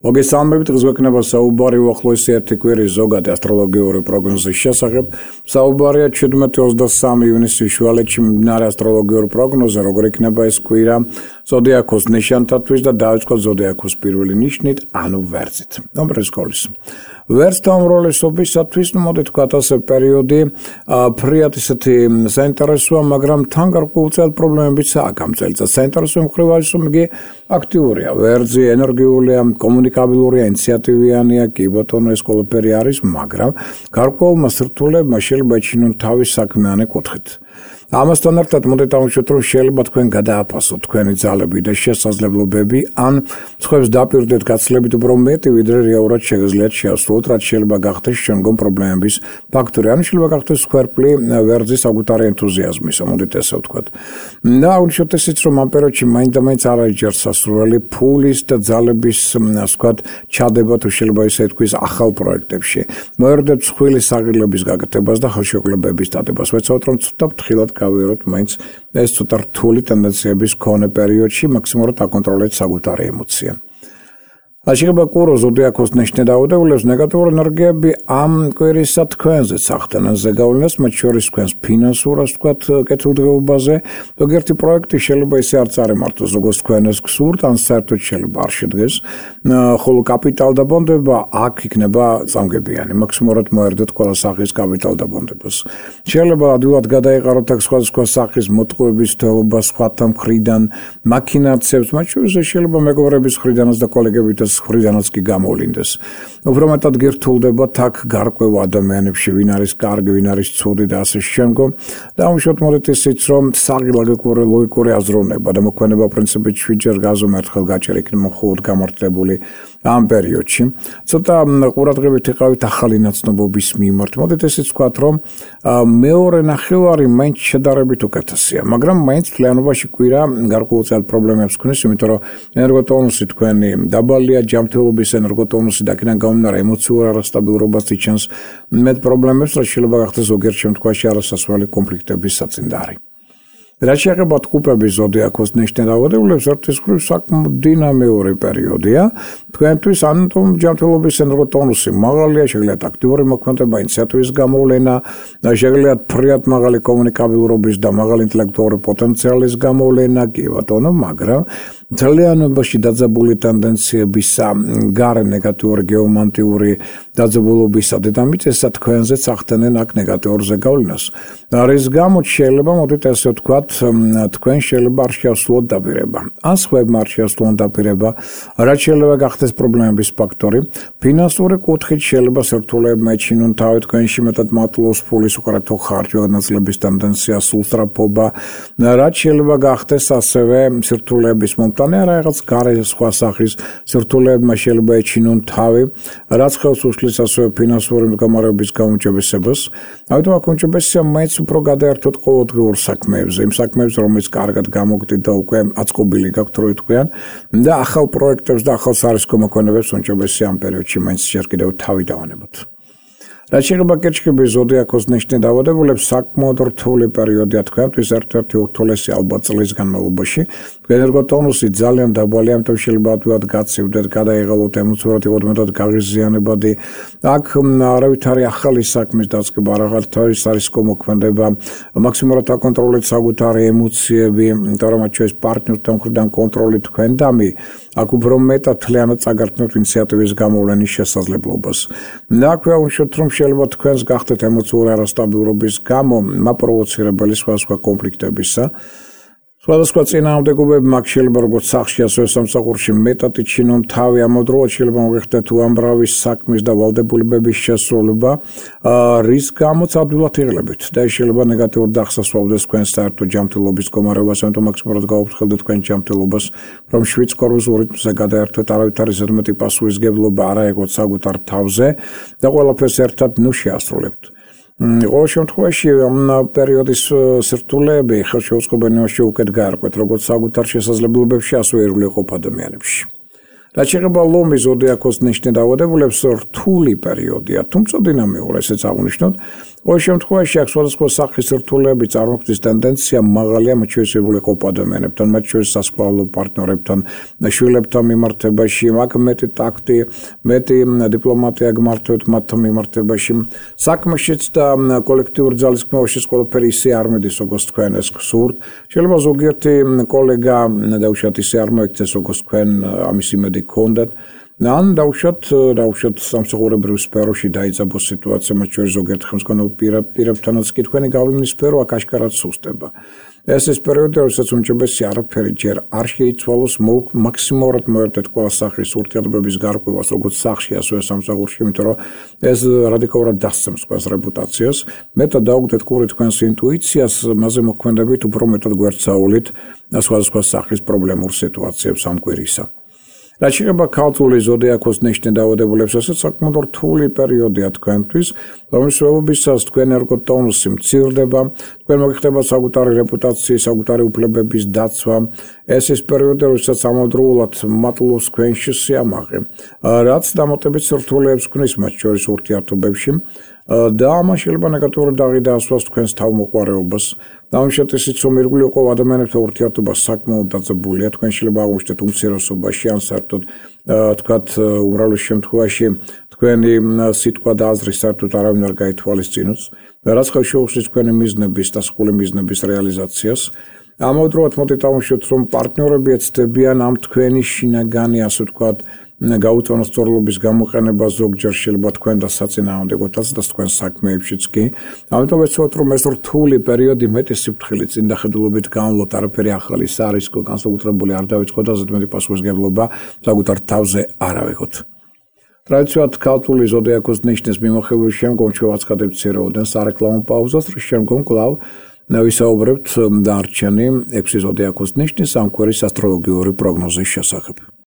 მოგესალმებით, დღესვექნება საუბარი უახლოესი ერთი კვირის ზოგადი ასტროლოგიური პროგნოზის შესახებ. საუბარია 17-23 ივნისის შუალედში მიმდინარე ასტროლოგიური პროგნოზე, როგორ იქნება ეს კვირა ზოდიაქოს ნიშანთათვის და დავიწყოთ ზოდიაქოს პირველი ნიშნით, ანუ ვერძით. ნომრისკოლის. ვერძთა უმრავლესობისათვის, მოდით ვთქვათ ასე, პერიოდი ფრიად ისეთი საინტერესოა, მაგრამ თან გარკვეულწილად პრობლემებიც აქვს ამ წელიწადს. საინტერესო მხრივ არის, რომ იგი აქტიურია, ვერძი ენერგიულია, კომუნიკაბილურია, ინიციატივიანია, კი ბატონო, ეს ყველაფერი არის, მაგრამ გარკვეულმა სირთულეებმა შეიძლება ეჩინონ თავის საქმიანი კუთხით. ამასთან ერთად მოდით დავუშვათ, რომ შეიძლება თქვენ გადააფასოთ თქვენი ძალები და შესაძლებლობები, ან სხვებს დაპირდეთ გაცილებით უფრო მეტი, ვიდრე რეალურად შეგიძლიათ შეასრულოთ, რაც შეიძლება გახდეს შემდგომ პრობლემების ფაქტორი. ან შეიძლება გახდეს სქვერპლი ვერძის საკუთარი ენთუზიაზმისა, მოდით ესე ვთქვათ. და აღნიშნოთ ისიც, რომ ამ პერიოდში მაინც არ არის ჯერ სასურველი ფულის და ძალების, ასე ვთქვათ, ჩადება თუ შეიძლება ისე თქვის ახალ პროექტებში. მოერდეთ მსხვილი საღირლების გაკეთებას და ხელშეკრულებების დადებას. ვეცადოთ, რომ ცოტა ფრთხილად გავიაროთ მაინც ეს ცოტა რთული ტენდენციების მქონე პერიოდში, მაქსიმალურად აკონტროლეთ საკუთარი ემოცია. შეიძლება კურო ზოდიაქოს ნიშნით დაავადებულებს ნეგატიური ენერგიები ამ კვირისა თქვენზეც ახდენენ ზეგავლენას, მათ შორის თქვენს ფინანსურას, ვთქვათ, კეთილდღეობაზე. ზოგიერთი პროექტი შეიძლება ისე არ წარიმართოს, როგორც თქვენ ეს გსურთ, ან საერთოდ შეიძლება არ შედგეს, ხოლო კაპიტალდაბონდება აქ იქნება წამგებიანი. მაქსიმალურად მოერდეთ ყველა სახის კაპიტალდაბონდებას. შეიძლება ადვილად გადაეყაროთ აქ სხვადასხვა სახის მოტყუების თეობა სხვათა მხრიდან, მაქინაციებს, მათ შორის შეიძლება მეგობრების მხრიდანაც და კოლეგებითაც ხრიდანაც კი გამოვლინდეს. უფრო მეტად გირთულდებათ აქ გარკვეულ ადამიანებში, ვინ არის კარგი, ვინ არის ცუდი და ასე შემდგომ. დავუშვათ მოდით ისიც, რომ საგილაგიკური ლოგიკური აზროვნება და მოქმედება პრინციპით 7 ჯერ გაზომ ერთხელ გაჭერ იქნება მხოლოდ გამართლებული ამ პერიოდში. ცოტა ყურადღებით იყავით ახალი ნაცნობობის მიმართ. მოდით ისიც ვთქვათ, რომ მეორე ნახევარი მაინც შედარებით უკეთესია, მაგრამ მაინც მთლიანობაში კვირა გარკვეულწილად პრობლემებს ქმნის, იმიტომ რომ ენერგოტონუსი თქვენი დაბალია, ჯანმრთელობის ენერგოტონუსი და აქედან გამომდინარე ემოციურ არასტაბილურობას იჩენს მეტ პრობლემებს, რაც შეიძლება გახდეს ზოგიერთ შემთხვევაში არასასურველი კონფლიქტების საწინდარი. რაც შეეხება ტყუპების ზოდიაქოს ნიშნით დაავადებულებს, ერთის მხრივ საკმაოდ დინამიური პერიოდია. თქვენთვის ან ჯანმრთელობის ენერგოტონუსი მაღალია, შეგიძლიათ აქტიური მოქმედება, ინიციატივის გამოვლენა, შეგიძლიათ ფრიად მაღალი კომუნიკაბილურობის და მაღალი ინტელექტუალური პოტენციალის გამოვლენა, კი ბატონო, მაგრამ ძალიანობაში დაძაბული ტენდენციებისა, გარე ნეგატიური გეომანტიური დაძაბულობისა დედამიწისა თქვენზეც ახდენენ აქ ნეგატიურ ზეგავლენას. რის გამოც შეიძლება, მოდით ესე ვთქვათ, თქვენ შეიძლება არ შეასრულოთ დაპირება. ან სხვებმა არ შეასრულონ დაპირება, რაც შეიძლება გახდეს პრობლემების ფაქტორი. ფინანსური კუთხით შეიძლება სირთულეებმა ეჩინონ თავი თქვენში, მეტად მატლობს ფულის უკრათო ხარჯვა განაწილების ტენდენცია, სულსწრაფობა, რაც შეიძლება გახდეს ასევე სირთულეების მომტანი, რაღაც გარე სხვა სახის სირთულეებმა შეიძლება ეჩინონ თავი, რაც ხელს უშლის ასევე ფინანსური მდგომარეობის გაუმჯობესებას. ამიტომ აქ უმჯობესია მაინც უფრო გადაერთოთ ყოველდღიურ საქმეებზე, იმ საქმეებს, რომელიც კარგად გამოგდით და უკვე აწყობილი გაქვთ, რო იტყვიან, და ახალ პროექტებს და ახალ სარისკო მოქმედებებს უმჯობესია ამ პერიოდში მაინც ჯერ კიდევ თავი დავანებოთ. რაც შეეხება კირჩხიბის ზოდიაქოს ნიშნით დაავადებულებს, საკმაოდ რთული პერიოდია თქვენთვის, ერთ-ერთი ურთულესი ალბათ წლის განმავლობაში. ენერგოტონუსი ძალიან დაბალი, ამიტომ შეიძლება ადვილად გაცივდეთ, გადაიღალოთ, ემოციურად იყოთ მეტად გაღიზიანებადი. აქ არავითარი ახალი საქმის დაწყება, არავითარი სარისკო მოქმედება, მაქსიმალურად აკონტროლეთ საკუთარი ემოციები, იმიტომ რომ მათ შორის პარტნიორთან მხრიდან კონტროლი თქვენდამი, აქ უფრო მეტად თლიანად წაგართმევთ ინიციატივის გამოვლენის შესაძლებლობას. და აქვე აუშვათ, რომ შეიძლება თქვენს გახდეთ ემოციური არასტაბილურობის გამო მაპროვოცირებელი სხვადასხვა კონფლიქტებისა. სხვადასხვა წინააღმდეგობები მაგ შეიძლება როგორც სახში, ასევე სამსახურში მეტად იჩინონ თავი, ამავდროულად შეიძლება მოგეხდეთ უამრავი საქმის და ვალდებულებების შესრულება, რის გამოც ადვილად იღლებთ და ეს შეიძლება ნეგატიურ დახსასვავდეს თქვენს საერთო ჯანმრთელობის მდგომარეობას, ამიტომ მაქსიმალურად გაუფრთხილდეთ თქვენ ჯანმრთელობას, რომ 7 კოროზულ რიტმზე გადაერთვეთ, არავითარი ზედმეტი პასუხისმგებლობა არ აიღოთ საკუთარ თავზე და ყველაფერს ერთად შეასრულებთ. ყოველ შემთხვევაში ამ პერიოდის სირთულეები ხელშეუწყობენიაში უკეთ გაერკვეთ, როგორც საკუთარ შესაძლებლობებში, ასევე ერულიყოფ ადამიანებში. რაც შეეხება ლომის ზოდიაქოს ნიშნით დაავადებულებს, რთული პერიოდია, თუმცა დინამიური, ესეც აღნიშნოთ, ყოველ შემთხვევაში აქ სხვადასხვა სახის რთულები წარმოქმნის ტენდენცია მაღალია მათ შორის ყოფ ადამიანებთან, მათ შორის სასწავლო პარტნიორებთან, შვილებთან მიმართებაში, აქ მეტი ტაქტი, მეტი დიპლომატია გმართვით მათ მიმართებაში. საქმეშიც და კოლექტიურ ძალისხმევაშიც ყველაფერი ისე არ მიდის, როგორც თქვენ ეს გსურთ. შეიძლება ზოგიერთი კოლეგა დაუშვათ ისე არ მოიქცეს, როგორც თქვენ ამის იმედი გქონდათ. ან დავუშვათ სამსახურებრივ სფეროში დაიძაბოს სიტუაცია, მათ შორის ზოგიერთ ხელმძღვანელ პირებთანაც კი თქვენი გავლენის სფერო აქ აშკარად სუსტება. ეს ის პერიოდი, როდესაც უმჯობესი არაფერი ჯერ არ შეიცვალოს, მაქსიმალურად მოერდეთ ყველა სახის ურთიერთობების გარკვევას, როგორც სახლში, ასევე სამსახურში, იმიტომ რომ ეს რადიკალურად დასცემს თქვენს რეპუტაციას. მეტად დაუგდეთ ყური თქვენს ინტუიციას, მასზე მოქმედებით უფრო მეტად გვერდსაულით სხვადასხვა სახის პრობლემურ სიტუაციებს ამ კვირისა. რაც შეეხება ქართული ზოდიაქოს ნიშნის დაავადებულებს, ეს საკმაოდ რთული პერიოდია თქვენთვის, რომლის მსვლელობისას თქვენი ერგოტონუსი მცირდება, თქვენ მოგიხდება საკუთარი რეპუტაციის, საკუთარი უფლებების დაცვა. ეს ის პერიოდი, როდესაც ამავდროულად მატლობს თქვენში სიამაყე, რაც დამატებით რთულებს ქმნის მათ შორის ურთიერთობებში. და ამან შეიძლება ნეგატიური დაღი დაასვას თქვენს თავმოყვარეობას. დამშეთ ისიც რომ ირგვლივ ყო ადამიანებთან ურთიერთობა საკმაოდ დაძაბულია, თქვენ შეიძლება აღმოჩნდეთ უმცირესობაში ან საერთოდ თქვათ უმრავლეს შემთხვევაში თქვენი სიტყვა და აზრი საერთოდ არავინ არ გაითვალისწინოს, რაც ხელს შეუხსნის თქვენი მიზნების და სრული მიზნების რეალიზაციას. ამავდროულად მოდით აღმოჩნდეთ რომ პარტნიორები ეცდებიან ამ თქვენი შინაგანი, ასე ვთქვათ, გაუწონასწორლობის გამოყენება ზოგჯერ შეიძლება თქვენ და საწინააღმდეგოთაც და თქვენ საქმეებშიც კი. ამიტომ ეცოთ რომ ეს რთული პერიოდი მეტი სიფრთხილით წინდახედულობით განვლოთ, არაფერი ახალი სარისკო განსაკუთრებული არ დავიწყოთ და ზედმეტი პასუხისმგებლობა საკუთარ თავზე არ ავიღოთ. ტრადიციულად ქართული ზოდიაქოს ნიშნის მიმოხილვის შემდგომ ჩვენ ვაცხადებთ ცირეოდენ სარეკლამო პაუზას, რის შემდგომ კვლავ ვისაუბრებთ დარჩენი 6 ზოდიაქოს ნიშნის ამ კვირის ასტროლოგიური პროგნოზის შესახებ.